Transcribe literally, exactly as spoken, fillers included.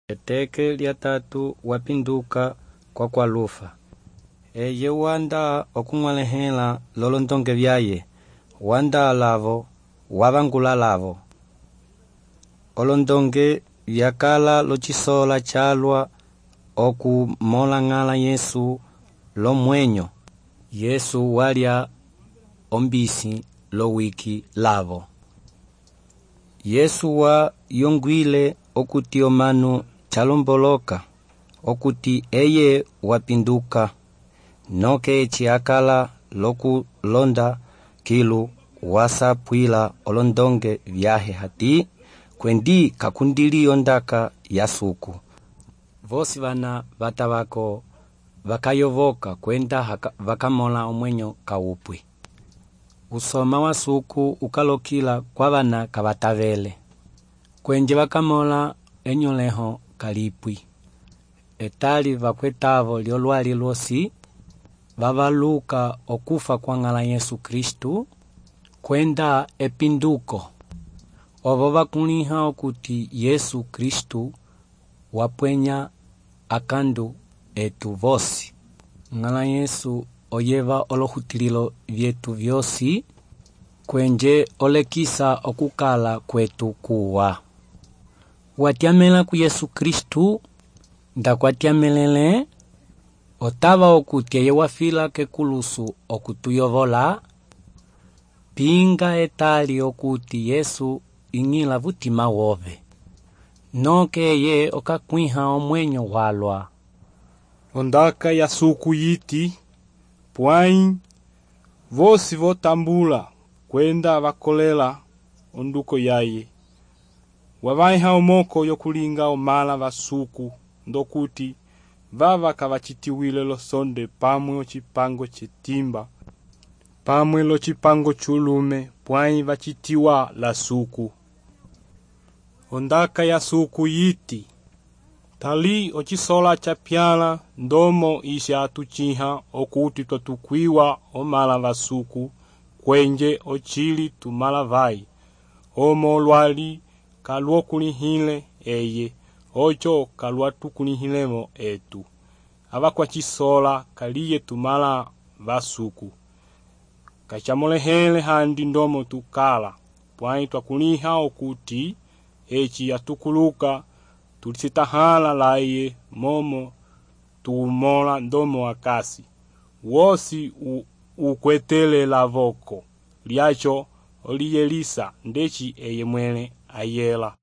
Eteke lya tatu wapinduka kwa kwalufa. Eye wanda okung'walehela lolondonge vyaye, wanda lavo, wavangula lavo. Olondonge vyakala lochisola chalwa okumola ng'ala Yesu lo mwenyo. Yesu walya ombisi lo wiki lavo. Yesu wa yongwile okuti omanu chalomboloka, okuti eye wapinduka, noke echi akala loku londa kilu wasapwila olondonge vyahe hati, kwendi kakundili ondaka ya suku. Vosi vana vatavako vakayovoka kwenda haka, vakamola omwenyo kawupwi. Usoma wa suku ukalokila kwa vana kavatavele. Kwenje vakamola enyoleho kalipwi. Etali vakwetavo lyolwali lwosi, vavaluka okufa kwa ng'ala Yesu Kristu, kwenda epinduko. Ovo vakuliha okuti Yesu Kristu wapwenya akandu etu vosi. Ng'ala Yesu oyeva olohutililo vyetu vyosi, kwenje olekisa okukala kwetu kuwa. Watiamela ku Yesu Kristu, ndakwatiamelele, otava okuti eye wafila kekulusu okutuyovola, pinga etali okuti Yesu ing'ila vutima wove. Noke ye okakwiha omwenyo walwa. Ondaka ya suku yiti, pwai, vosi votambula, kwenda vakolela onduko yaye. Wavaiha omoko yokulinga omala vasuku, ndokuti vava kavachitiwile lo sonde pamwe ochipango chetimba, pamwe lo chipango chulume, pwai vachitiwa la suku. Ondaka ya suku yiti, tali ochisola chapyala ndomo isha atuchiha okuti totukwiwa omala vasuku, kwenje ochili tumala vai, omo lwali kalwo kulihile eye, ocho kalwa tukulihilemo etu. Ava kwa chisola kaliye tumala vasuku. Kachamolehele handi ndomo tukala, pwai twakuliha okuti, echi atukuluka, tulisitahala laye momo tuumola ndomo akasi. Wosi u, ukwetele lavoko, liacho oliyelisa ndechi eye mwele ayela.